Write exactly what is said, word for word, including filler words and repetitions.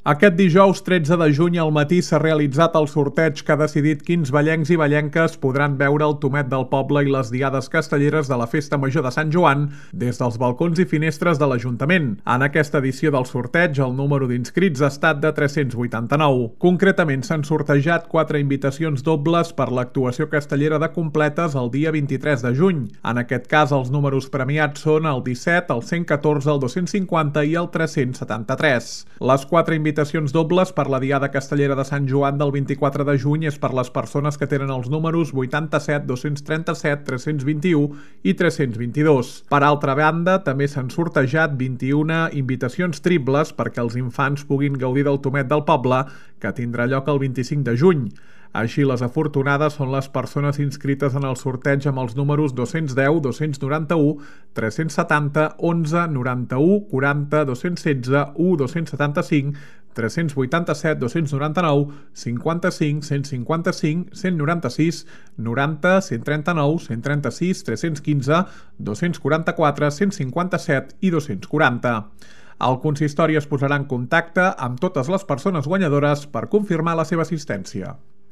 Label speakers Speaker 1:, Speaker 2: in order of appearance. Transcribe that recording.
Speaker 1: Aquest dijous tretze de juny al matí s'ha realitzat el sorteig que ha decidit quins vallencs i vallenques podran veure el Tomet del Poble i les diades castelleres de la Festa Major de Sant Joan des dels balcons i finestres de l'Ajuntament. En aquesta edició del sorteig, el número d'inscrits ha estat de tres-cents vuitanta-nou. Concretament, s'han sortejat quatre invitacions dobles per l'actuació castellera de completes el dia vint-i-tres de juny. En aquest cas, els números premiats són el disset, el cent catorze, el dos-cents cinquanta i el tres-cents setanta-tres. Les quatre invitacions Invitacions dobles per la Diada Castellera de Sant Joan del vint-i-quatre de juny és per les persones que tenen els números vuitanta-set, dos-cents trenta-set, tres-cents vint-i-u i tres-cents vint-i-dos. Per altra banda, també s'han sortejat vint-i-una invitacions triples perquè els infants puguin gaudir del Tomet del Poble, que tindrà lloc el vint-i-cinc de juny. Així, les afortunades són les persones inscrites en el sorteig amb els números dos-cents deu, dos-cents noranta-u, tres-cents setanta, onze, noranta-u, quaranta, dos-cents setze, u, dos-cents setanta-cinc, tres-cents vuitanta-set, dos-cents noranta-nou, cinquanta-cinc, cent cinquanta-cinc, cent noranta-sis, noranta, cent trenta-nou, cent trenta-sis, tres-cents quinze, dos-cents quaranta-quatre, cent cinquanta-set i dos-cents quaranta. El consistori es posarà en contacte amb totes les persones guanyadores per confirmar la seva assistència.